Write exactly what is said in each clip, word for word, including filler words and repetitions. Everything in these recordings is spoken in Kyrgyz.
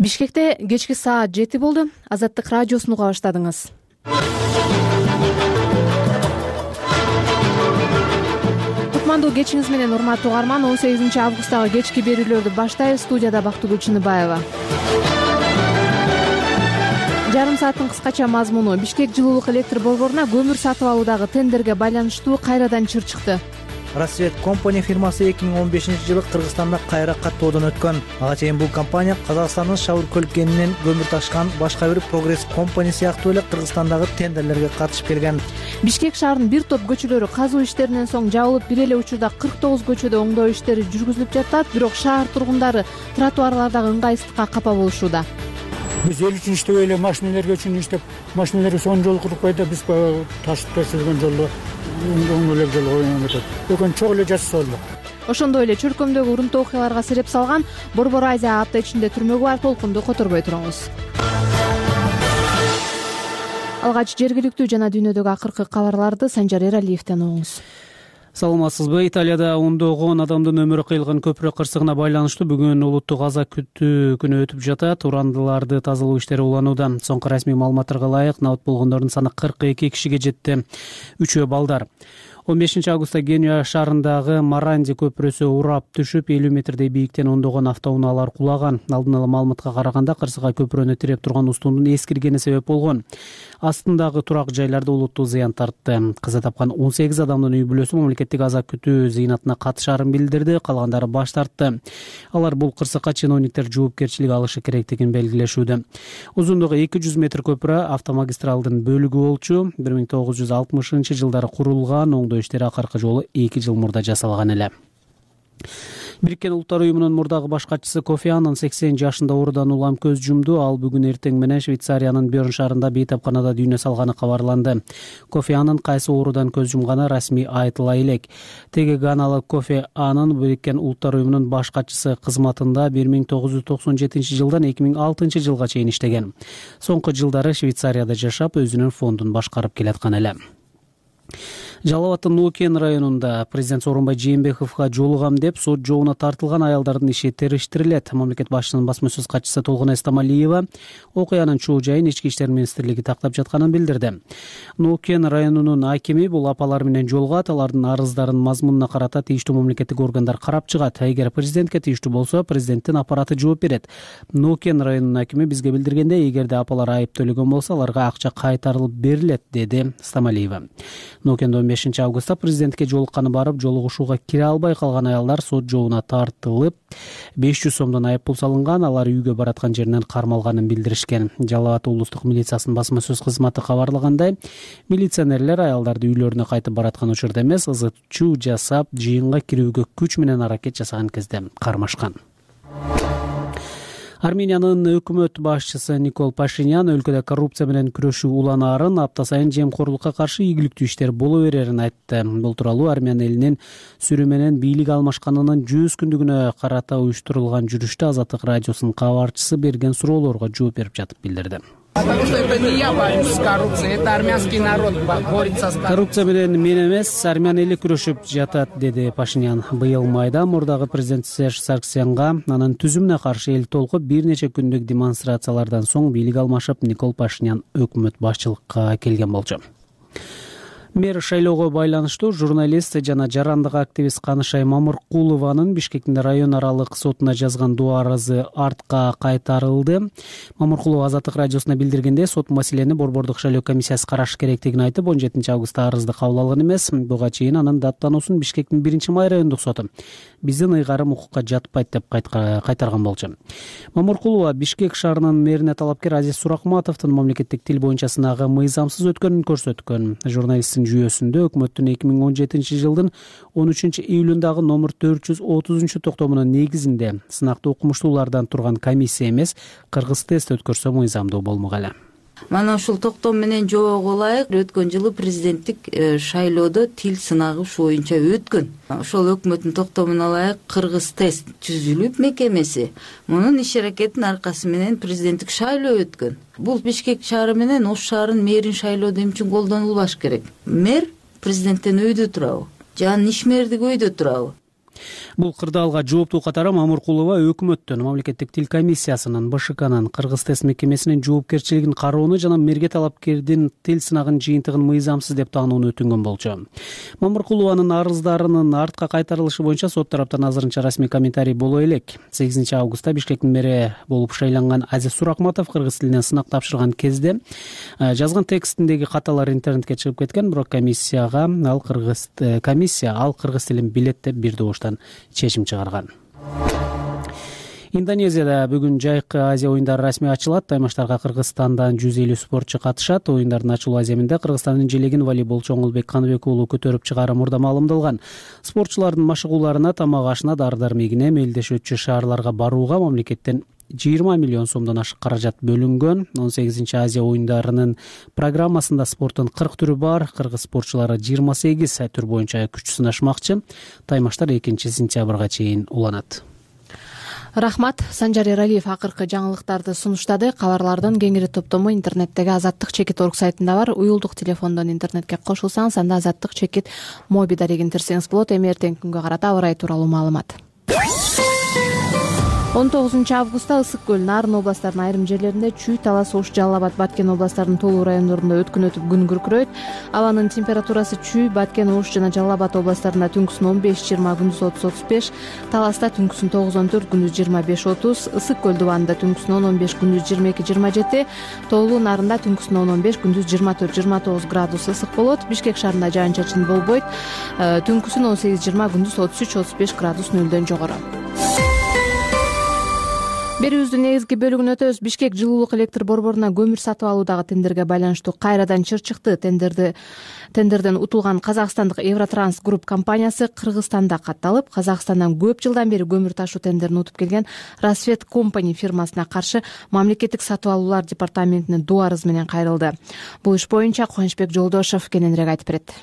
Бишкекте кечки саат жети болду. Азаттык радиосун уга баштадыңыз. Кутмандуу кечиңиз менен урматтуу угарман. он сегизинчи августтагы кечки берүүлөрдү баштайбыз. Студияда Бактыгүл Чыныбаева. Жарым сааттын кыскача мазмуну: Бишкек жылуулук электр борборуна көмүр сатып алуудагы тендерге байланыштуу кайрадан чыр чыкты. Рассвет компания фирмасы эки миң он бешинчи жылы Кыргызстанда кайра каттоодон өткөн. Ага чейин бул компания Казакстандын Шавыр кенинен көмүр ташкан башка бир Прогресс компания сыяктуу эле Кыргызстандагы тендерлерге катышып келген. Бишкек шаарынын бир топ көчөлөрү казуу иштеринен соң жабылып, бир эле учурда кырк тогуз көчөдө оңдоо иштери жүргүзүлүп жатат. Бирок шаар тургундары тротуарлардагы ыңгайсыздыкка капа болушууда. Биз эл үчүн иштебей эле машинелерге үчүн иштеп, машинелерге сонун жол куруп койду, биз ташып төшөлгөн жолду оң эле жол коюп атат. Өкөн чок эле жасаса болмок. Ошондой эле чөлкөмдөгү урунтуу окуяларга сереп салган Борбор Азия апта ичинде түрмөгө барып толкунду которбой туруңуз. Алгач жергиликтүү жана дүйнөдөгү акыркы кабарларды Санжар Эралиевден угуңуз. Саламатсызбы? Италияда ондогон адамдын өмүрү кыйылган көпүрө кырсыгына байланыштуу бүгүн улуттук аза күтүү күнү өтүп жатат. Урандыларды тазалоо иштери уланууда. Соңку расмий маалыматтарга ылайык набыт болгондордун саны кырк эки кишиге жетти. Үчөө балдар. он бешинчи августта Генуя шаарындагы Маранди көпүрөсү урап түшүп, элүү метрдей бийиктен ондогон автоунаалар кулаган. Алдын ала маалыматка караганда кырсыга көпүрөнү тиреп турган устундун эскиргени себеп болгон. Астындагы турак жайларда олуттуу зыян тартты. Каза тапкан он сегиз адамдын үй бүлөсү мамлекеттик аза күтүү зыйнатына катышаарын билдирди, калгандары баш тартты. Алар бул кырсыкка чиновниктер жоопкерчилик алышы керектигин белгилешүүдө. Узундугу эки жүз метр көпүрө автомагистралдын бөлүгү болчу. бир миң тогуз жүз алтымышынчы жылдары курулган, оңдоо иштери акыркы жолу эки жыл мурда жасалган эле. Бириккен Улуттар уюмунун мурдагы баш катчысы Кофи Аннан сексен жашында оорудан улам көз жумду. Ал бүгүн эртең менен Швейцариянын Бёрн шаарында бейтапканада дүйнө салганы кабарланды. Кофи Аннан кайсы оорудан көз жумганы расмий айтыла элек. Теги ганалык Кофи Аннан Бириккен Улуттар уюмунун баш катчысы кызматында бир миң тогуз жүз токсон жетинчи жылдан эки миң алтынчы жылга чейин иштеген. Соңку жылдары Швейцарияда жашап, өзүнүн фондун башкарып келаткан эле. Жалал абаддын Нуукен районунда президент Сооронбай Жээнбековго жолугам деп сот жообуна тартылган аялдардын иши териштирилет. Мамлекет башчысынын басма сөз катчысы Толгонай Стамалиева окуянын чоо жайын Ички иштер министрлиги тактап жатканын билдирди. Нуукен районунун акими бул апалар менен жолугат, алардын арыздарын мазмунуна карата тийиштүү мамлекеттик органдар карап чыгат. Эгер президентке тийиштүү болсо, президенттин аппараты жооп берет. Нуукен районунун акими бизге билдиргендей, эгерде апалар айып төлөгөн болсо, аларга акча кайтарылып берилет, деди Стамалиева. Нуукенде он бешинчи августта президентке жолукканы барып, жолугушууга кире албай калган аялдар сот жообуна тартылып, беш жүз сомдон айып пул салынган, алар үйгө бараткан жеринен кармалганын билдиришкен. Жалал абад облустук милициясынын басма сөз кызматы кабарлагандай, милиционерлер аялдарды үйлөрүнө кайтып бараткан учурда эмес, ызычуу жасап, жыйынга кирүүгө күч менен аракет жасаган кезде кармашкан. Армениянын өкмөт башчысы Никол Пашинян өлкөдө коррупция менен күрөшүү уланаарын, апта сайын жемкорлукка каршы ийгиликтүү иштер боло берерин айтты. Бул тууралуу Армян элинин сүрү менен бийлик алмашканынын жүз күндүгүнө карата уюштурулган жүрүштө Азаттык радиосунун кабарчысы берген суроолорго жооп берип жатып билдирди. Коррупция менен мен эмес, армян эли күрөшүп жатат, деди Пашинян. Быйыл майда мурдагы президент Серж Сарксянга анын түзүмүнө каршы эл толкуп бир нече күндүк демонстрациялардан соң бийлик алмашып, Никол Пашинян өкмөт башчылыкка келген болчу. Мэр шайлоого байланыштуу журналист жана жарандык активист Канышай Мамыркулованын Бишкектин район аралык сотуна жазган доо арызы артка кайтарылды. Мамыркулова Азаттык радиосуна билдиргенде, сот маселени борбордук шайлоо комиссиясы карашы керектигин айтып, он жетинчи августта арызды кабыл алган эмес. Буга чейин анын даттануусун Бишкектин биринчи май райондук соту биздин ыйгарым укукка жатпайт деп кайтарган болчу. Мамыркулова Бишкек шаарынын мэрине талапкер Азиз Суракматовдун мамлекеттик тил боюнча сынагы мыйзамсыз өткөнүн көрсөткөн. Журналисттин жүйөсүндө өкмөттүн эки миң он жетинчи жылдын он үчүнчү июлундагы номер төрт жүз отузунчу токтомунун негизинде сынакты окумуштуулардан турган комиссия эмес, кыргыз тест өткөрсө мыйзамдуу болмок эле. Мана ушул токтом менен жоого ылайык өткөн жылы президенттик шайлоодо тил сынагы ушу боюнча өткөн. Ошол өкмөттүн токтомуна ылайык кыргыз тест түзүлүп мекемеси мунун иш аракетинин аркасы менен президенттик шайлоо өткөн. Бул Бишкек шаары менен Ош шаарынын мэрин шайлоодо эмне үчүн колдонулбаш керек? Мэр президенттен өйдө турабы? Же анын ишмердиги өйдө турабы? Бул кырдаалга жооптуу катары Мамыркулова өкмөттөн, мамлекеттик тил комиссиясынын, Б Ш Кнын, Кыргыз тест мекемесинин жоопкерчилигин кароону жана мерге талапкердин тил сынагын жыйынтыгын мыйзамсыз деп таанууну өтүнгөн болчу. Мамыркулованын арыздарынын артка кайтарылышы боюнча сот тараптан азырынча расмий комментарий боло элек. сегизинчи августта Бишкектин мэри болуп шайланган Азиз Суракматов кыргыз тилинен сынак тапшырган кезде жазган текстиндеги каталар интернетке чыгып кеткен, бирок комиссияга ал кыргыз комиссия ал кыргыз тилин билет деп бир добуштан чечим чыгарган. Индонезияда бүгүн жайкы Азия оюндары расмий ачылат. Таймаштарга Кыргызстандан жүз элүү спортчу катышат. Оюндардын ачылуу аземинде Кыргызстандын желегин волейболчу Оңолбек Каныбек уулу көтөрүп чыгаары мурда маалымдалган. Спортчулардын машыгууларына, тамак ашына, дары-дармегине, мелдеш өтчү шаарларга барууга мамлекеттен жыйырма миллион сомдон ашык каражат бөлүнгөн. он сегизинчи Азия оюндарынын программасында спорттун кырк түрү бар. Кыргыз спортчулары жыйырма сегиз түр боюнча күч сынашмакчы. Таймаштар экинчи сентябрга чейин уланат. Рахмат. Санжар Эралиев акыркы жаңылыктарды сунуштады. Кабарлардын кеңири топтому интернеттеги Азаттык чекит орг сайтында бар. Уюлдук телефондон интернетке кошулсаңыз, анда Азаттык чекит моби дарегин терсеңиз болот. Эми эртеңки күнгө карата аба ырайы тууралуу маалымат. он тогузунчу августта Ысык көл, Нарын областарынын айрым жерлеринде чүй, Талас, Ош, Жалал Абад, Баткен областарынын толуу райондорунда өткүн өтүп күн күркүрөйт. Абанын температурасы чүй, Баткен, Ош жана Жалал Абад областарында түнкүсүн он беш жыйырма, күндүз отуз отуз беш, Таласта түнкүсүн тогуз он төрт, күндүз жыйырма беш отуз, Ысык көл дубанында түнкүсүн он он беш, күндүз жыйырма эки жыйырма жети, Тоолуу Нарында түнкүсүн он он беш, күндүз жыйырма төрт жыйырма тогуз градус ысык болот. Бишкек шаарында жаан-чачын болбойт. Түнкүсүн он сегиз жыйырма, күндүз отуз үч отуз беш градус нөлдөн жогору. Берүүбүздүн негизги бөлүгүн өтөбүз. Бишкек жылуулук электр борборуна көмүр сатып алуудагы тендерге байланыштуу кайрадан чыр чыкты. Тендерди тендерден утулган казакстандык Евротранс Групп компаниясы Кыргызстанда катталып, Казакстандан көп жылдан бери көмүр ташуу тендерин утуп келген Расвет Компани фирмасына каршы мамлекеттик сатып алуулар департаментине доо арыз менен кайрылды. Бул иш боюнча Кубанычбек Жолдошов кененирээк айтып берет.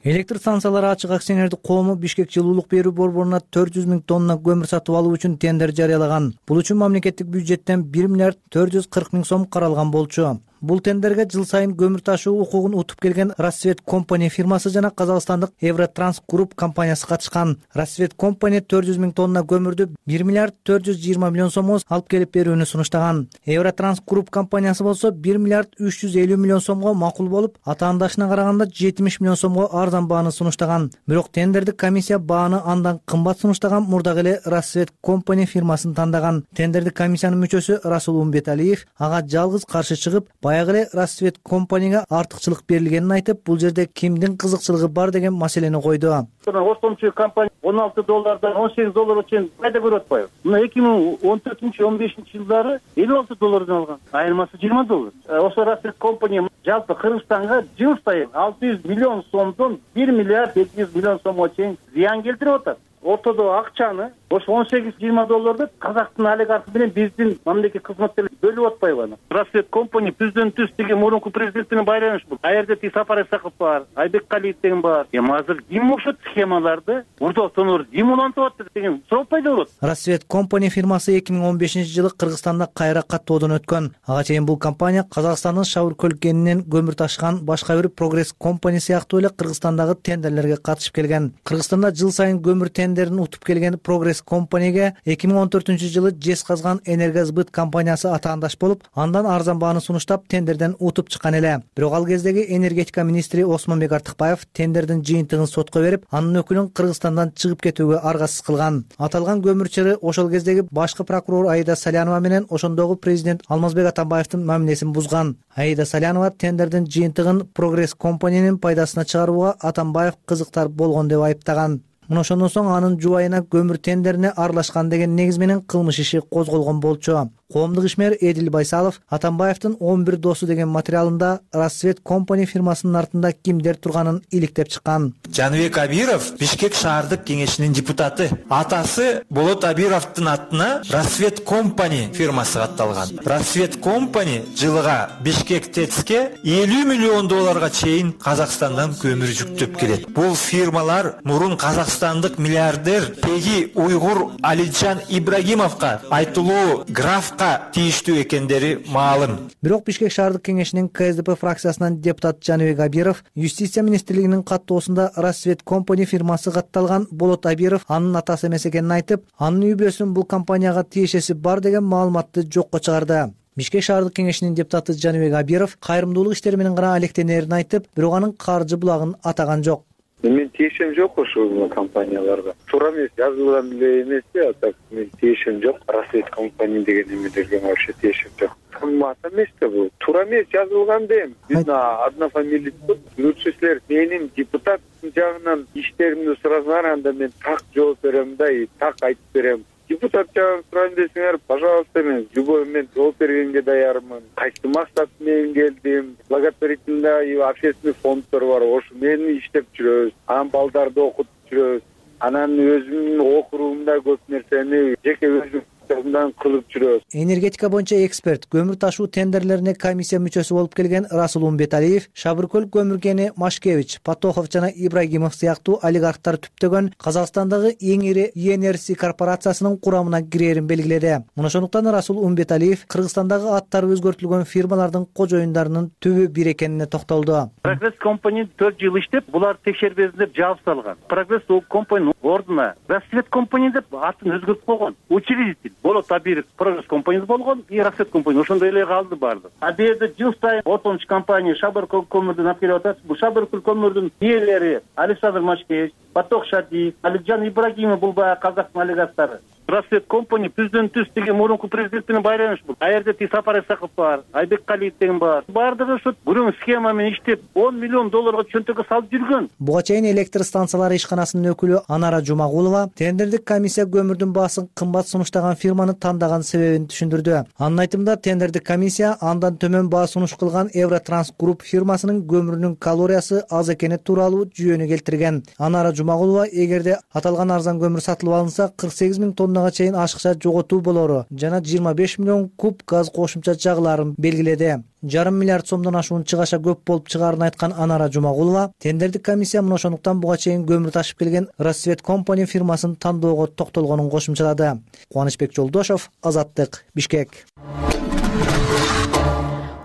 Электр станциялары ачык акционердик коому Бишкек жылуулук берүү борборуна төрт жүз миң тонна көмүр сатып алуу үчүн тендер жарыялаган. Бул үчүн мамлекеттик бюджеттен бир миллиард төрт жүз кырк миң сом каралган болчу. Бул тендерге жыл сайын көмүр ташуу укугун утуп келген Расвет Компани фирмасы жана казакстандык Евротранс Групп компаниясы катышкан. Расвет Компани төрт жүз миң тонна көмүрдү бир миллиард төрт жүз жыйырма миллион сомго алып келип берүүнү сунуштаган. Евротранс Групп компаниясы болсо бир миллиард үч жүз элүү миллион сомго макул болуп, атаандашына караганда жетимиш миллион сомго арзан бааны сунуштаган. Бирок тендердик комиссия бааны андан кымбат сунуштаган мурдагы эле Расвет Компани фирмасын тандаган. Тендердик комиссиянын мүчөсү Расул Умбеталиев ага жалгыз каршы чыгып, баягы эле Расвет Компанияга артыкчылык берилгенин айтып, бул жерде кимдин кызыкчылыгы бар деген маселени койду. Ортомчу компания он алты доллардан он сегиз долларга чейин пайда көрүп атпайбы? Мына эки миң он төртүнчү он бешинчи жылдары элүү алты доллардан алган. Айырмасы жыйырма доллар. Ошо Расвет Компания жалпы Кыргызстанга жыл сайын алты жүз миллион сомдон бир миллиард эки жүз миллион сомго чейин зыян келтирип атат. Ортодо акчаны ошо он сегиз жыйырма долларды казактын олигархи менен биздин мамлекеттик кызматкерлер бөлүп атпайбы? Расвет Компания түздөн түз деген мурунку президент менен байланыш бул. А жерде ти Сапар Исаков бар, Айбек Калиев деген бар. Эми азыр ким окшот схемаларды урдоктонор ким улантып атат деген суроо пайда болот. Расвет Компания фирмасы эки миң он бешинчи жылы Кыргызстанда кайра каттоодон өткөн. Ага чейин бул компания Казакстандын Шавыр көлкенинен көмүр ташкан башка бир Прогресс Компани сыяктуу эле Кыргызстандагы тендерлерге катышып келген. Кыргызстанда жыл сайын көмүр тендерин утуп келген Прогресс Компанияга эки миң он төртүнчү жылы Жез Казган Энергосбыт компаниясы атаандаш болуп, андан арзан бааны сунуштап тендерден утуп чыккан эле. Бирок ал кездеги энергетика министри Осмонбек Артыкбаев тендердин жыйынтыгын сотко берип, анын өкүлүн Кыргызстандан чыгып кетүүгө аргасыз кылган. Аталган көмүр чыры ошол кездеги башкы прокурор Аида Салянова менен ошондогу президент Алмазбек Атамбаевдин мамилесин бузган. Аида Салянова тендердин жыйынтыгын Прогресс Компаниянын пайдасына чыгарууга Атамбаев кызыктар болгон деп айыптаган. Мына ошондон соң анын жубайына көмүр тендерине аралашкан деген негиз менен кылмыш иши козголгон болчу. Коомдук ишмер Эдил Байсалов Атамбаевдин он бир досу деген материалында Расвет Компани фирмасынын артында кимдер турганын иликтеп чыккан. Жаныбек Абиров Бишкек шаардык кеңешинин депутаты. Атасы Болот Абировдун атына Расвет Компани фирмасы катталган. Расвет Компани жылыга Бишкек ТЭЦке элүү миллион долларга чейин Казакстандан көмүр жүктөп келет. Бул фирмалар мурун казакстандык миллиардер Пеги Уйгур Алиджан Ибрагимовго айтылуу граф кайракка тийиштүү экендери маалым. Бирок Бишкек шаардык кеңешинин Ка Эс Де Пе фракциясынан депутат Жаныбек Абиров Юстиция министрлигинин каттоосунда Рассвет компани фирмасы катталган Болот Абиров анын атасы эмес экенин айтып, анын үй бүлөсүнүн бул компанияга тиешеси бар деген маалыматты жокко чыгарды. Бишкек шаардык кеңешинин депутаты Жаныбек Абиров кайрымдуулук иштери менен гана алектенерин айтып, бирок анын каржы булагын атаган жок. Мен тиешем жок ошол компанияларга. Туура эмес, жазылган эле эмес, а так мен тиешем жок. Рассвет компания деген эмелерге вообще тиешем жок. Кымбат эмес да бул. Туура эмес жазылган дейм. Биздин однофамилийлик лучше силер менин депутат жагынан иштеримди сурасаңар, анда мен так жооп берем да, так айтып берем. Депутат жагын сурайын десеңер, пожалуйста, мен любой момент жооп бергенге даярмын. Кайсы максат менен келдим, благотворительный общественный фонддор бар, ошо мени иштеп жүрөбүз, анан балдарды окутуп жүрөбүз, анан өзүмдүн округумда көп нерсени жеке өзүм кылып жүрөбүз. Энергетика боюнча эксперт, көмүр ташуу тендерлерине комиссия мүчөсү болуп келген Расул Умбеталиев, Шабыркөл көмүр кени Машкевич, Патохов жана Ибрагимов сыяктуу олигархтар түптөгөн Казакстандагы эң ири И Эн Эр Си корпорациясынын курамына кирерин белгиледи. Мына ошондуктан Расул Умбеталиев Кыргызстандагы аттары өзгөртүлгөн фирмалардын кожоюндарынын түбү бир экенине токтолду. Прогресс компания төрт жыл иштеп, булар текшербесин деп жабып салган. Прогресс компания ордуна Рассвет компания деп атын өзгөртүп койгон. Учредитель Болот Абиров Прогресс компаниясы болгон, и Рассвет компания ошондой эле калды барды. А бул жерде жыл сайын отончу компания Шабыркөл көмүрдүн алып келип атат. Бул Шабыркөл көмүрдүн ээлери Александр Машкевич, Патох Шадиев, Алиджан Ибрагимов, бул баягы казактын олигархтары. Рассвет компания президенттүс деген мурунку президент менен байланыш бул. А жерде Ти Сапар Исаков бар, Айбек Калиев деген бар. Бардыгы ошо бүрүн схема менен иштеп он миллион долларга чөнтөгкө салып жүргөн. Буга чейин электр станциялары ишканасынын өкүлү Анара Жумагулова тендердик комиссия көмүрдүн баасын кымбат сунуштаган фирманы тандаган себебин түшүндүрдү. Анын айтымында тендердик комиссия андан төмөн баа сунуш кылган Евротранс Групп фирмасынын көмүрүнүн калориясы аз экени тууралуу жүйөнү келтирген. Анара Жумагулова эгерде аталган арзан көмүр сатылып алынса кырк сегиз миң тонна чейин ашыкча жоготуу болору жана жыйырма беш миллион куб газ кошумча чагыларын белгиледи. Жарым миллиард сомдон ашуун чыгаша көп болуп чыгаарын айткан Анара Жумагулова тендердик комиссия мына ошондуктан буга чейин көмүр ташып келген Рассвет компания фирмасын тандоого токтолгонун кошумчалады. Кубанычбек Жолдошов, Азаттык, Бишкек.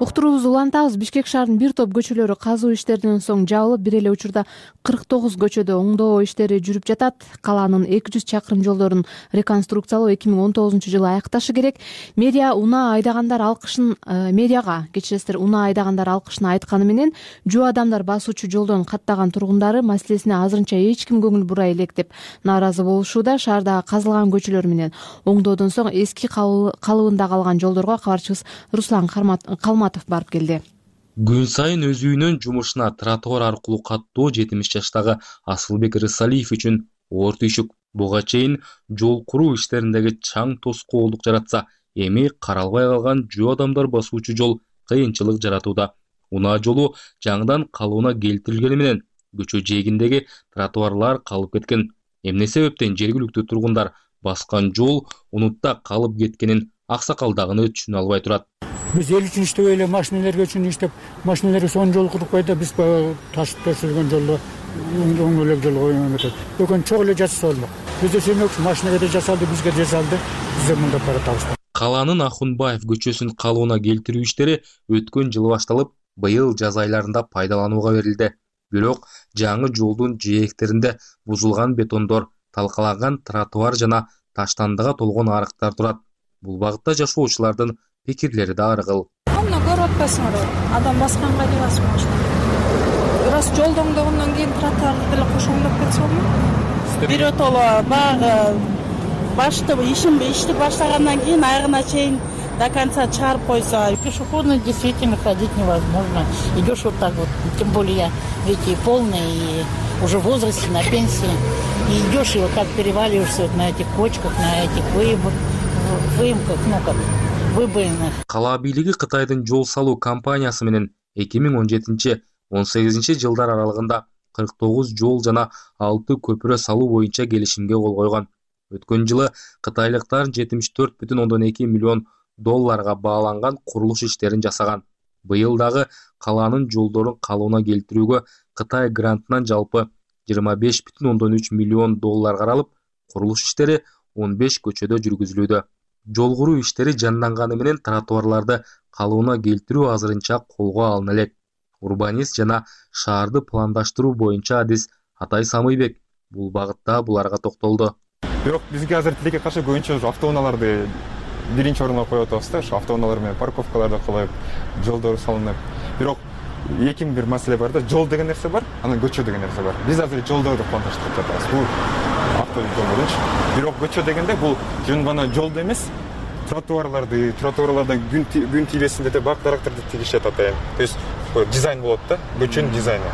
Уктуруубузду улантабыз. Бишкек шаарынын бир топ көчөлөрү казуу иштеринен соң жабылып, бир эле учурда кырк тогуз көчөдө оңдоо иштери жүрүп жатат. Калаанын эки жүз чакырым жолдорун реконструкциялоо эки миң он тогузунчу жылы аякташы керек. Медиа унаа айдагандар алкышын медиага кечиресиздер унаа айдагандар алкышын айтканы менен жөө адамдар басуучу жолдон каттаган тургундары маселесине азырынча эч ким көңүл бурай элек деп нааразы болушууда. Шаардагы казылган көчөлөр менен оңдоодон соң эски калыбында калган жолдорго кабарчыбыз Руслан Калматов барып келди. Күн сайын өз үйүнөн жумушуна тротуар аркылуу каттоо жетимиш жаштагы Асылбек Рысалиев үчүн оор түйшүк. Буга чейин жол куруу иштериндеги чаң тоскоолдук жаратса, эми каралбай калган жөө адамдар басуучу жол кыйынчылык жаратууда. Унаа жолу жаңыдан калыбына келтирилгени менен көчө жээгиндеги тротуарлар калып кеткен. Эмне себептен жергиликтүү тургундар баскан жол унутта калып кеткенин аксакалдагыны түшүнө албай турат. Биз эл үчүн иштеп эле машинелерге үчүн иштеп, машинелерге сонун жол куруп койду, биз ташып төшөлгөн жолду оң элек жол койгон кетет. Өкөн чок эле жасаса болмок. Бизде сүймөк машинеге да жасалды, бизге жасалды, бизде мында баратабыз. Калаанын Ахунбаев көчөсүн калыбына келтирүү иштери өткөн жылы башталып, быйыл жаз айларында пайдаланууга берилди. Бирок жаңы жолдун жээктеринде бузулган бетондор, талкаланган тротуар жана таштандыга толгон арыктар турат. Бул багытта жашоочулардын пикирлери да ар кыл. Мына көрүп атпайсыңар, адам басканга эле басып машина. Раз жолду оңдогондон кийин тротуарды деле кошо оңдоп кетсе болмок. Биротоло баягы башты ишин ишти баштагандан кийин аягына чейин до конца чыгарып койсо, пешеходно действительно ходить невозможно. Идешь вот так вот, тем более я ведь полный и уже в возрасте, на пенсии. И идешь и вот так переваливаешься вот на этих кочках, на этих выемках, ну как выбоинах. Кала бийлиги Кытайдын жол салуу компаниясы менен эки миң он жетинчи — он сегизинчи жылдар аралыгында кырк тогуз жол жана алты көпүрө салуу боюнча келишимге кол койгон. Өткөн жылы кытайлыктар жетимиш төрт бүтүн ондон эки миллион долларга бааланган курулуш иштерин жасаган. Быйыл дагы калаанын жолдорун калыбына келтирүүгө Кытай грантынан жалпы жыйырма беш бүтүн ондон үч миллион доллар каралып, курулуш иштери он беш көчөдө жүргүзүлүүдө. Жол куруу иштери жанданганы менен тротуарларды калыбына келтирүү азырынча колго алына элек. Урбанист жана шаарды пландаштыруу боюнча адис Атай Самыйбек бул багытта буларга токтолду. Бирок бизге азыр тилекке каршы көбүнчө автоунааларды биринчи орунга коюп атабыз да, ошо автоунаалар менен парковкаларды кылып, жолдор салынып. Бирок эки бир маселе бар да, жол деген нерсе бар, анан көчө деген нерсе бар. Биз азыр жолдорду пландаштырып жатабыз. Бул автожолдордунчу. Бирок көчө дегенде бул жөн гана жолду эмес, тротуарларды, тротуарларда күн күн тийбесин деп бак дарактарды тигишет атайын. То есть дизайн болот да, көчөнүн дизайны.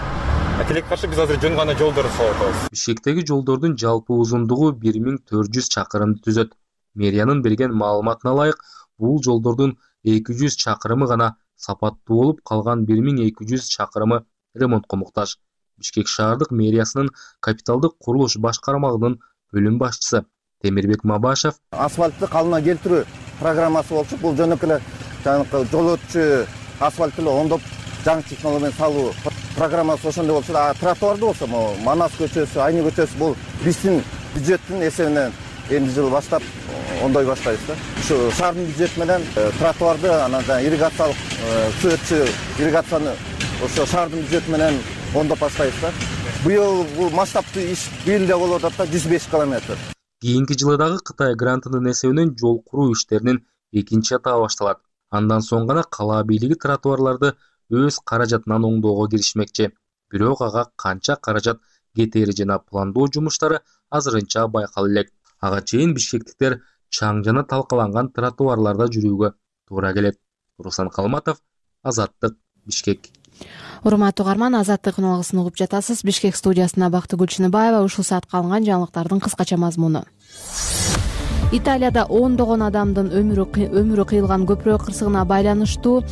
Тилекке каршы биз азыр жөн гана жолдорду салып атабыз. Бишкектеги жолдордун жалпы узундугу бир миң төрт жүз чакырымды түзөт. Мэриянын берген маалыматына ылайык, бул жолдордун эки жүз чакырымы гана сапаттуу болуп, калган бир миң эки жүз чакырымы ремонтко муктаж. Бишкек шаардык мэриясынын капиталдык курулуш башкармалыгынын бөлүм башчысы Темирбек Мабашев асфальтты калыбына келтирүү программасы болчу. Бул жөнөкөй эле жанагы жол өтчү асфальтты оңдоп жаңы технология менен салуу программасы ошондой болчу. А тротуарды болсо, Манас көчөсү, Айны көчөсү бул биздин бюджеттин эсебинен эмди жыл баштап оңдой баштайбыз да. Ушу шаардын бюджети менен тротуарды, анан ирригациялык суу өтчү ирригацияны ошо шаардын бюджети менен оңдоп баштайбыз да. Быйыл бул масштабтуу иш бийилде болуп атат да, жүз беш километр. Кийинки жылы дагы Кытай грантынын эсебинен жол куруу иштеринин экинчи этабы башталат. Андан соң гана кала бийлиги тротуарларды өз каражатынан оңдоого киришмекчи. Бирок ага канча каражат кетери жана пландоо жумуштары азырынча байкала элек. Ага чейин бишкектиктер чаң жана талкаланган тротуарларда жүрүүгө туура келет. Руслан Калматов, Азаттык, Бишкек. Урматтуу угарман, Азаттык уналгысын угуп жатасыз. Бишкек студиясында Бактыгүл Чыныбаева. Ушул саатка алынган жаңылыктардын кыскача мазмуну. Италияда ондогон адамдын өмүрү өмүрү кыйылган көпүрө кырсыгына байланыштуу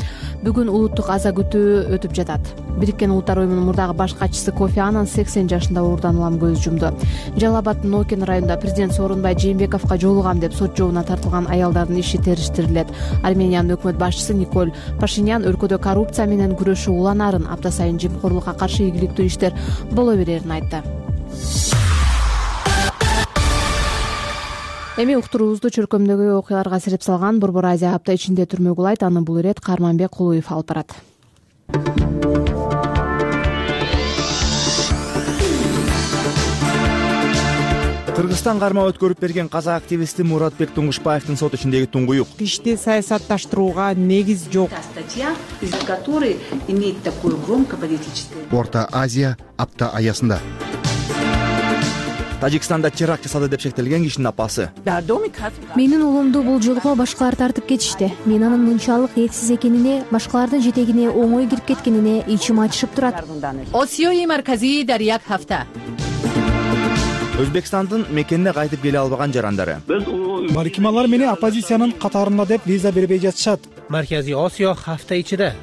бүгүн улуттук аза күтүү өтүп жатат. Бириккен Улуттар уюмунун мурдагы баш катчысы Кофи Аннан сексен жашында оорудан улам көз жумду. Жалал Абаддын Нокен районунда президент Сооронбай Жээнбековго жолугам деп сот жообуна тартылган аялдардын иши териштирилет. Армениянын өкмөт башчысы Николь Пашинян өлкөдө коррупция менен күрөшүү уланарын, апта сайын жемкорлукка каршы ийгиликтүү иштер боло берерин айтты. Эми уктуруубузду чөркөмдөгү окуяларга сирип салган Борбор Азия апта ичинде түрмө кулайт. Аны бул ирет Карманбек Кулуев алып барат. Кыргызстан кармап өткөрүп берген казак активисти Муратбек Туңгушбаевдин сот ичиндеги туңгуюк. Ишти саясатташтырууга негиз жок. Орто Азия апта аясында Тажикстанда теракт жасады деп шектелген кишинин апасы. Менин уулумду бул жолго башкалар тартып кетишти. Мен анын мынчалык этсиз экенине, башкалардын жетегине оңой кирип кеткенине ичим ачышып турат. Осиёи марказии дар як хафта. Өзбекстандын мекенине кайтып келе албаган жарандары. Баркималар мени оппозициянын катарында деп виза бербей жатышат. Марказий Осиё хафта ичиде.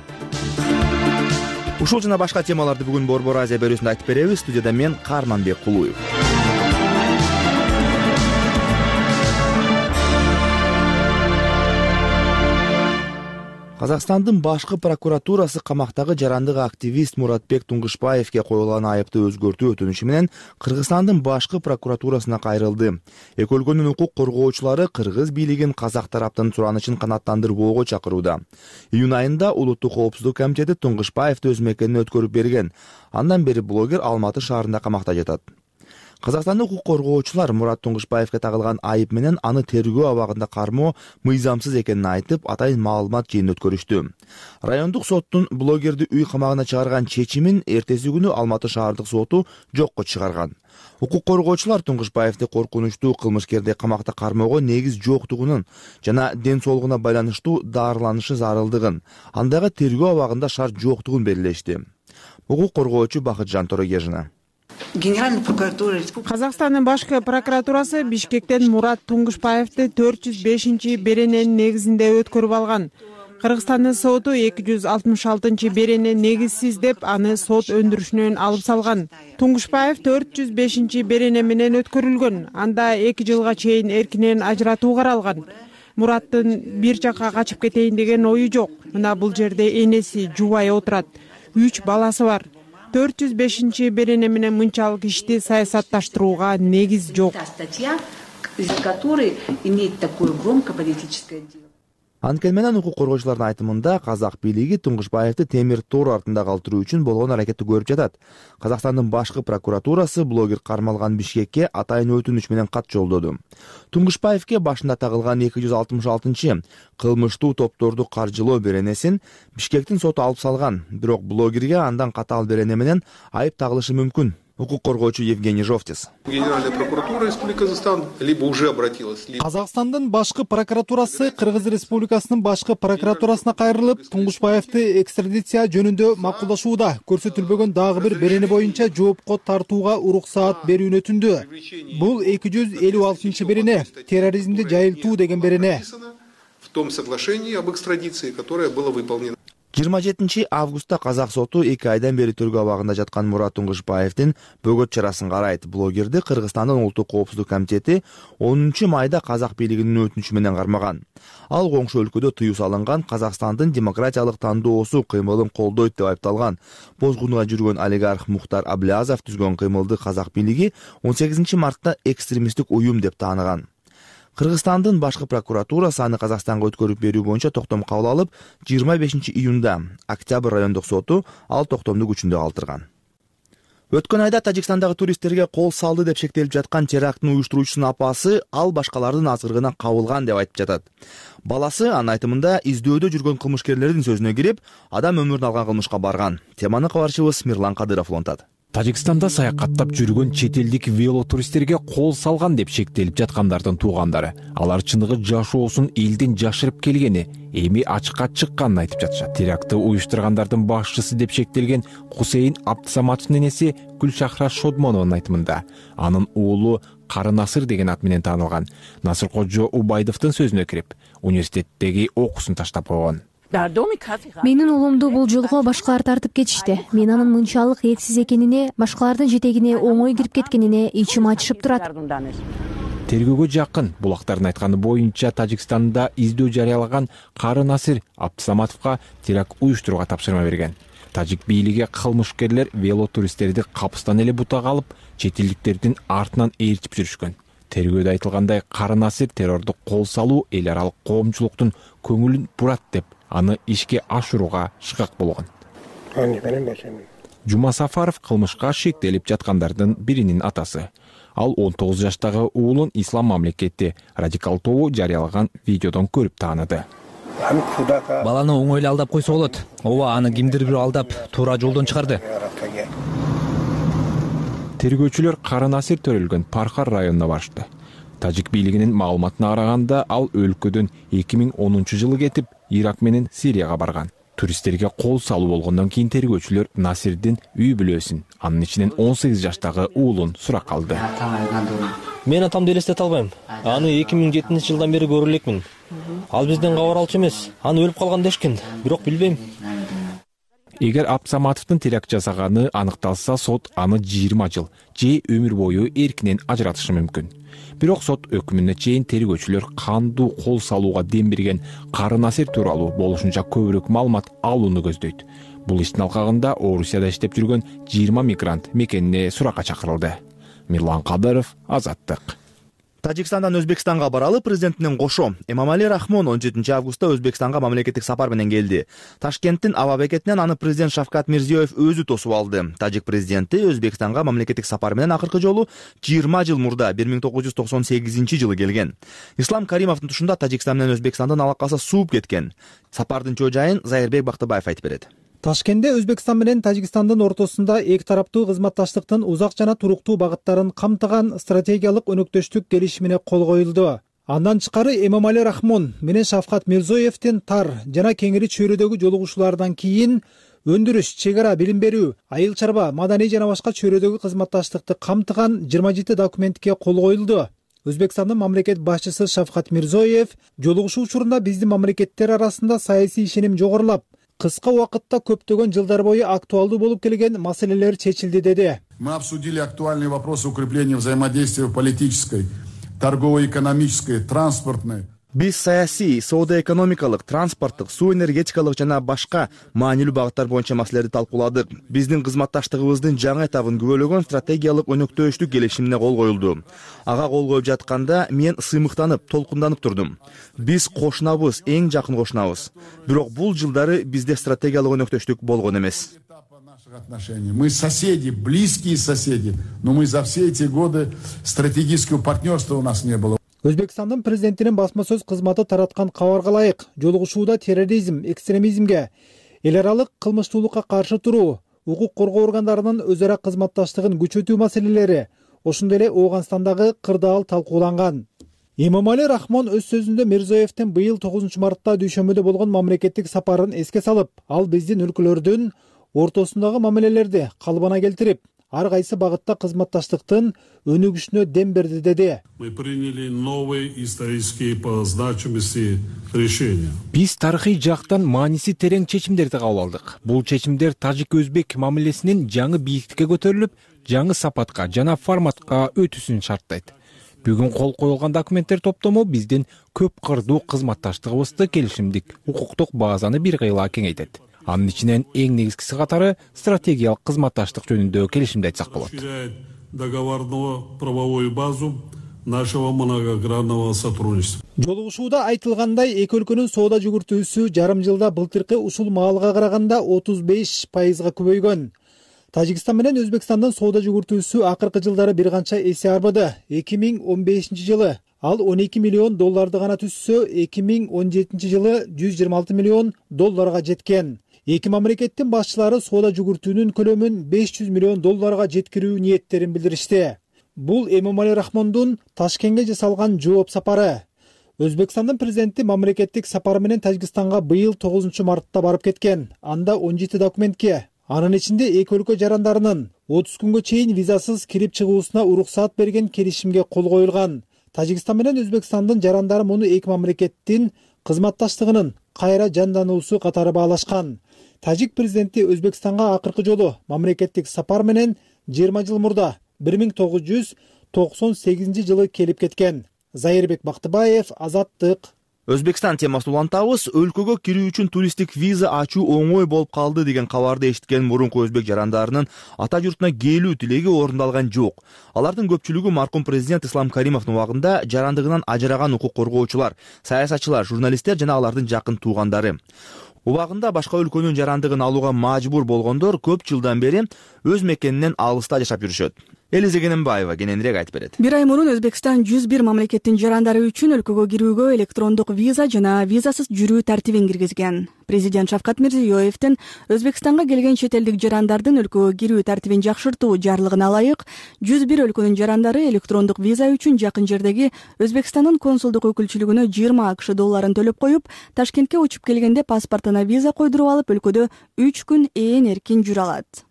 Ушул жана башка темаларды бүгүн Борбор Азия берүүсүндө айтып беребиз. Студияда мен Карманбек Кулуев. Казакстандын башкы прокуратурасы камактагы жарандык активист Муратбек Туңгушбаевге коюлган айыпты өзгөртүү өтүнүшү менен Кыргызстандын башкы прокуратурасына кайрылды. Эки өлкөнүн укук коргоочулары кыргыз бийлигин казак тараптын суранычын канааттандырбоого чакырууда. Июнь айында Улуттук коопсуздук комитети Туңгушбаевди өз мекенине өткөрүп берген. Андан бери блогер Алматы шаарында камакта жатат. Казакстандык укук коргоочулар Мурат Туңгушбаевге тагылган айып менен аны тергөө абагында кармоо мыйзамсыз экенин айтып, атайын маалымат жыйын өткөрүштү. Райондук соттун блогерди үй камагына чыгарган чечимин эртеси күнү Алматы шаардык соту жокко чыгарган. Укук коргоочулар Туңгушбаевди коркунучтуу кылмышкерди камакта кармоого негиз жоктугунун жана ден соолугуна байланыштуу дарыланышы зарылдыгын, андагы тергөө абагында шарт жоктугун белгилешти. Укук коргоочу Бакытжан Торогежина. Казакстандын башкы прокуратурасы Бишкектен Мурат Туңгушбаевди төрт жүз бешинчи берененин негизинде өткөрүп алган. Кыргызстандын соту эки жүз алтымыш алтынчы берене негизсиз деп аны сот өндүрүшүнөн алып салган. Туңгушбаев төрт жүз бешинчи берене менен өткөрүлгөн. Анда эки жылга чейин эркинен ажыратуу каралган. Мураттын бир жакка качып кетейин деген ою жок. Мына бул жерде энеси жубай отурат. үч баласы бар. төрт жүз бешинчи берене менен мынчалык ишти саясатташтырууга негиз жок. из-за которой имеет такое громкое политическое дело. Анткени менен укук коргоочулардын айтымында казак бийлиги Туңгушбаевди темир тор артында калтыруу үчүн болгон аракетти көрүп жатат. Казакстандын башкы прокуратурасы блогер кармалган Бишкекке атайын өтүнүч менен кат жолдоду. Туңгушбаевге башында тагылган эки жүз алтымыш алтынчы кылмыштуу топторду каржылоо беренесин Бишкектин соту алып салган, бирок блогерге андан катаал берене менен айып тагылышы мүмкүн. Укук коргоочу Евгений Жовтис. Генеральная прокуратура Республики Казахстан либо уже обратилась. Казакстандын башкы прокуратурасы Кыргыз Республикасынын башкы прокуратурасына кайрылып, Туңгушбаевди экстрадиция жөнүндө макулдашууда көрсөтүлбөгөн дагы бир берене боюнча жоопко тартууга уруксаат берүүнү өтүндү. Бул эки жүз элүү алтынчы берене, терроризмди жайылтуу деген берене. В том соглашении об экстрадиции, которое было выполнено. жыйырма жетинчи августта казак соту эки айдан бери тергөө абагында жаткан Мурат Туңгушбаевдин бөгөт чарасын карайт. Блогерди Кыргызстандын улуттук коопсуздук комитети онунчу майда казак бийлигинин өтүнүчү менен кармаган. Ал коңшу өлкөдө тыюу салынган Казакстандын демократиялык тандоосу кыймылын колдойт деп айыпталган. Бозгунга жүргөн олигарх Мухтар Аблязов түзгөн кыймылды казак бийлиги он сегизинчи мартта экстремисттик уюм деп тааныган. Кыргызстандын башкы прокуратурасы аны Казакстанга өткөрүп берүү боюнча токтом кабыл алып, жыйырма бешинчи июнда Октябрь райондук соту ал токтомду күчүндө калтырган. Өткөн айда Тажикстандагы туристтерге кол салды деп шектелип жаткан теракттын уюштуруучусунун апасы ал башкалардын азгырыгына кабылган деп айтып жатат. Баласы анын айтымында издөөдө жүргөн кылмышкерлердин сөзүнө кирип, адам өмүрүн алган кылмышка барган. Теманы кабарчыбыз Мирлан Кадыров улантат. Тажикстанда саякаттап жүргөн чет элдик велотуристтерге кол салган деп шектелип жаткандардын туугандары. Алар чыныгы жашоосун элден жашырып келгени, эми ачыкка чыкканын айтып жатышат. Терактты уюштургандардын башчысы деп шектелген Хусейин Абдсаматовдун энеси Гүлшахра Шодмонованын айтымында, анын уулу Кары Насыр деген ат менен таанылган Насыркожо Убайдовдун сөзүнө кирип, университеттеги окуусун таштап койгон. Менин уулумду бул жолго башкалар тартып кетишти. Мен анын мынчалык этсиз экенине, башкалардын жетегине оңой кирип кеткенине ичим ачышып турат. Тергөөгө жакын булактардын айтканы боюнча Тажикстанда издөө жарыялаган Кары Насыр Абдсаматовго теракт уюштурууга тапшырма берген. Тажик бийлиги кылмышкерлер велотуристтерди капыстан эле бутага алып, чет элдиктердин артынан ээрчип жүрүшкөн. Тергөөдө айтылгандай, Кары Насыр террорду кол салуу эл аралык коомчулуктун көңүлүн бурат деп, аны ишке ашырууга шыкак болгон. Жума Сафаров кылмышка шектелип жаткандардын биринин атасы. Ал он тогуз жаштагы уулун ислам мамлекети радикал тобу жарыялаган видеодон көрүп тааныды. Баланы оңой эле алдап койсо болот. Ооба, аны кимдир бирөө алдап туура жолдон чыгарды. Тергөөчүлөр Кары Насыр төрөлгөн Пархар районуна барышты. Тажик бийлигинин маалыматына караганда, ал өлкөдөн эки миң онунчу жылы кетип, Ирак менен Сирияга барган. Туристтерге кол салуу болгондон кийин тергөөчүлөр Насирдин үй бүлөсүн, анын ичинен он сегиз жаштагы уулун сурак алды. Мен атамды элестете албайм. Аны эки миң жетинчи жылдан бери көрө элекмин. Ал бизден кабар алчу эмес. Аны өлүп калган дешкен, бирок билбейм. Эгер Абдсаматовдун теракт жасаганы аныкталса, сот аны жыйырма жыл же өмүр бою эркинен ажыратышы мүмкүн. Бирок сот өкүмүнө чейин тергөөчүлөр кандуу кол салууга дем берген Кары Насыр тууралуу болушунча көбүрөөк маалымат алууну көздөйт. Бул иштин алкагында Орусияда иштеп жүргөн жыйырма мигрант мекенине суракка чакырылды. Мирлан Кадыров, Азаттык. Тажикстандан Өзбекстанга баралы президентинен кошо Эмомали Рахмон он жетинчи августта Өзбекстанга мамлекеттик сапар менен келди. Ташкенттин аба бекетинен аны президент Шавкат Мирзиёев өзү тосуп алды. Тажик президенти Өзбекстанга мамлекеттик сапар менен акыркы жолу жыйырма жыл мурда бир миң тогуз жүз токсон сегизинчи жылы келген. Ислам Каримовдун тушунда Тажикстан менен Өзбекстандын алакасы сууп кеткен. Сапардын чоо жайын Зайырбек Бактыбаев айтып берет. Ташкентте Өзбекстан менен Тажикстандын ортосунда эки тараптуу кызматташтыктын узак жана туруктуу багыттарын камтыган стратегиялык өнөктөштүк келишимине кол коюлду. Андан тышкары Эмомали Рахмон менен Шавкат Мирзиёевдин тар жана кеңири чөйрөдөгү жолугушуулардан кийин өндүрүш, чек ара, билим берүү, айыл чарба, маданий жана башка чөйрөдөгү кызматташтыкты камтыган жыйырма жети документке кол коюлду. Өзбекстандын мамлекет башчысы Шавкат Мирзиёев жолугушуу учурунда биздин мамлекеттер арасында саясий ишеним жогорулап, кыска убакытта көптөгөн жылдар бою актуалдуу болуп келген маселелер чечилди деди. Мы обсудили актуальные вопросы укрепления взаимодействия в политической, торгово-экономической, транспортной. Биз саясий, соода экономикалык, транспорттук, суу энергетикалык жана башка маанилүү багыттар боюнча маселелерди талкууладык. Биздин кызматташтыгыбыздын жаңы этабын күбөлөгөн стратегиялык өнөктөштүк келишимине кол коюлду. Ага кол коюп жатканда мен сыймыктанып, толкунданып турдум. Биз кошунабыз, эң жакын кошунабыз. Бирок бул жылдары бизде стратегиялык өнөктөштүк болгон эмес. Мы соседи, близкие соседи, но мы за все эти годы стратегического партнерства у нас не было. Өзбекстандын президентинин басма сөз кызматы тараткан кабарга ылайык, жолугушууда терроризм, экстремизмге, эл аралык кылмыштуулукка каршы туруу, укук коргоо органдарынын өз ара кызматташтыгын күчөтүү маселелери, ошондой эле Ооганстандагы кырдаал талкууланган. Эмомали Рахмон өз сөзүндө Мирзиёевдин быйыл тогузунчу мартта Дүйшөмбөдө болгон мамлекеттик сапарын эске салып, ал биздин өлкөлөрдүн ортосундагы мамилелерди калыбына келтирип, ар кайсы багытта кызматташтыктын өнүгүшүнө дем берди деди. Мы приняли новые исторические по значимости решения. Биз тарыхый жактан мааниси терең чечимдерди кабыл алдык. Бул чечимдер тажик-өзбек мамилесинин жаңы бийиктикке көтөрүлүп, жаңы сапатка жана форматка өтүүсүн шарттайт. Бүгүн кол коюлган документтер топтому биздин көп кырдуу кызматташтыгыбызды келишимдик укуктук базаны бир кыйла кеңейтет. Анын ичинен эң негизгиси катары стратегиялык кызматташтык жөнүндө келишимди айтсак болот. Договорную правовую базу нашего многогранного сотрудничества. Жолугушууда айтылгандай, эки өлкөнүн соода жүгүртүүсү жарым жылда былтыркы ушул маалга караганда отуз беш пайызга көбөйгөн. Тажикстан менен Өзбекстандын соода жүгүртүүсү акыркы жылдары бир канча эсе арбыды. эки миң он бешинчи жылы ал он эки миллион долларды гана түзсө, эки миң он жетинчи жылы жүз жыйырма алты миллион долларга жеткен. Эки мамлекеттин башчылары соода жүгүртүүнүн көлөмүн беш жүз миллион долларга жеткирүү ниеттерин билдиришти. Бул Эмомали Рахмондун Ташкентке жасалган жооп сапары. Өзбекстандын президенти мамлекеттик сапары менен Тажикстанга быйыл тогузунчу мартта барып кеткен. Анда он жети документке, анын ичинде эки өлкө жарандарынын отуз күнгө чейин визасыз кирип чыгуусуна уруксаат берген келишимге кол коюлган. Тажикстан менен Өзбекстандын жарандары муну эки мамлекеттин кызматташтыгынын кайра жандануусу катары баалашкан. Тажик президенти Өзбекстанга акыркы жолу мамлекеттик сапар менен жыйырма жыл мурда бир миң тогуз жүз токсон сегизинчи жылы келип кеткен. Зайырбек Бактыбаев, Азаттык. Өзбекстан темасын улантабыз. Өлкөгө кирүү үчүн туристтик виза ачуу оңой болуп калды деген кабарды эшиткен мурунку өзбек жарандарынын ата журтуна келүү тилеги орундалган жок. Алардын көпчүлүгү маркум президент Ислам Каримовдун убагында жарандыгынан ажыраган укук коргоочулар, саясатчылар, журналисттер жана алардын жакын туугандары. Убагында башка өлкөнүн жарандыгын алууга мажбур болгондор көп жылдан бери өз мекенинен алыста жашап жүрүшөт. Элиза Кененбаева кененирээк айтып берет. Бир ай мурун Өзбекстан жүз бир мамлекеттин жарандары үчүн өлкөгө кирүүгө электрондук виза жана визасыз жүрүү тартибин киргизген. Президент Шавкат Мирзиёевдин Өзбекстанга келген чет элдик жарандардын өлкөгө кирүү тартибин жакшыртуу жарлыгына ылайык жүз бир өлкөнүн жарандары электрондук виза үчүн жакын жердеги Өзбекстандын консулдук өкүлчүлүгүнө жыйырма акш долларын төлөп коюп, Ташкентке учуп келгенде паспортуна виза койдуруп алып, өлкөдө үч күн ээн эркин жүрө алат.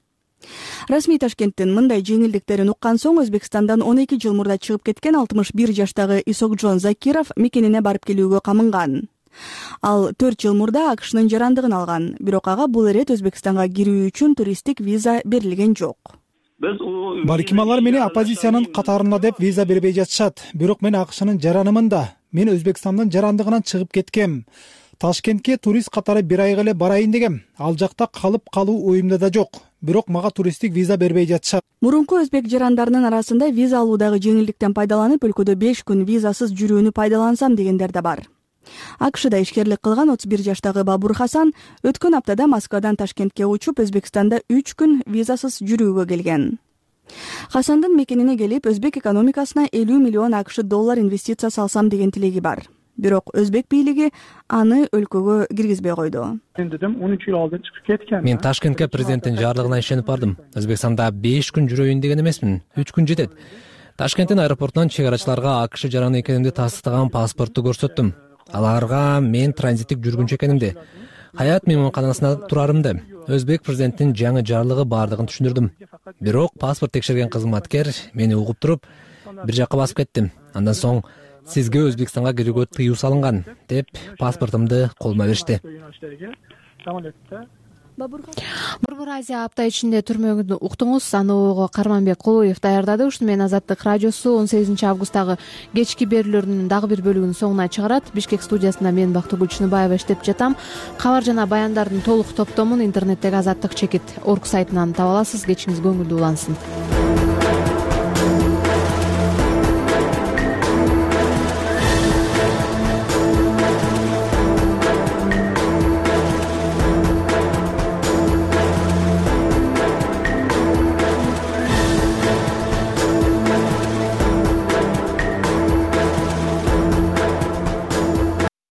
Расмий Ташкенттин мындай жеңилдиктерин уккан соң Өзбекстандан он эки жыл мурда чыгып кеткен алтымыш бир жаштагы Исокжон Закиров мекенине барып келүүгө камынган. Ал төрт жыл мурда АКШнын жарандыгын алган, бирок ага бул эрет Өзбекстанга кирүү үчүн туристтик виза берилген жок. Балким алар мени оппозициянын катарында деп виза бербей жатышат, бирок мен АКШнын жаранымын да. Мен Өзбекстандын жарандыгынан чыгып кеткем. Ташкентке турист катары бир айга эле барайын дегем. Ал жакта калып калуу оюмда да жок. Бирок мага туристтик виза бербей жатышат. Мурунку өзбек жарандарынын арасында виза алуудагы жеңилдиктен пайдаланып, өлкөдө беш күн визасыз жүрүүнү пайдалансам дегендер да бар. АКШда ишкерлик кылган отуз бир жаштагы Бабур Хасан өткөн аптада Москвадан Ташкентке учуп, Өзбекстанда үч күн визасыз жүрүүгө келген. Хасандын мекенине келип, өзбек экономикасына элүү миллион АКШ доллар инвестиция салсам деген тилеги бар. Бирок өзбек бийлиги аны өлкөгө киргизбей койду. Мен дедим он үч жыл алдын чыгып кеткен. Мен Ташкентке президенттин жарлыгына ишенип бардым. Өзбекстанда беш күн жүрөйүн деген эмесмин. үч күн жетет. Ташкенттин аэропортунан чек арачыларга АКШ жараны экенимди тастыктаган паспортту көрсөттүм. Аларга мен транзиттик жүргүнчү экенимди, Хаят мейманканасында турарымды, өзбек президенттин жаңы жарлыгы бардыгын түшүндүрдүм. Бирок паспорт текшерген кызматкер мени угуп туруп, бир жакка басып кеттим. Андан соң сизге Өзбекстанга кирүүгө тыюу салынган деп паспортумду колума беришти. Борбор Азия апта ичинде түрмөгүн уктуңуз. Аны Карманбек Кулуев даярдады. Ушуну менен Азаттык радиосу он сегизинчи августтагы кечки берүүлөрүнүн дагы бир бөлүгүн соңуна чыгарат. Бишкек студиясында мен Бактыгүл Чыныбаева иштеп жатам. Кабар жана баяндардын толук топтомун интернеттеги азаттык чекит орг сайтынан таба аласыз. Кечиңиз көңүлдүү улансын.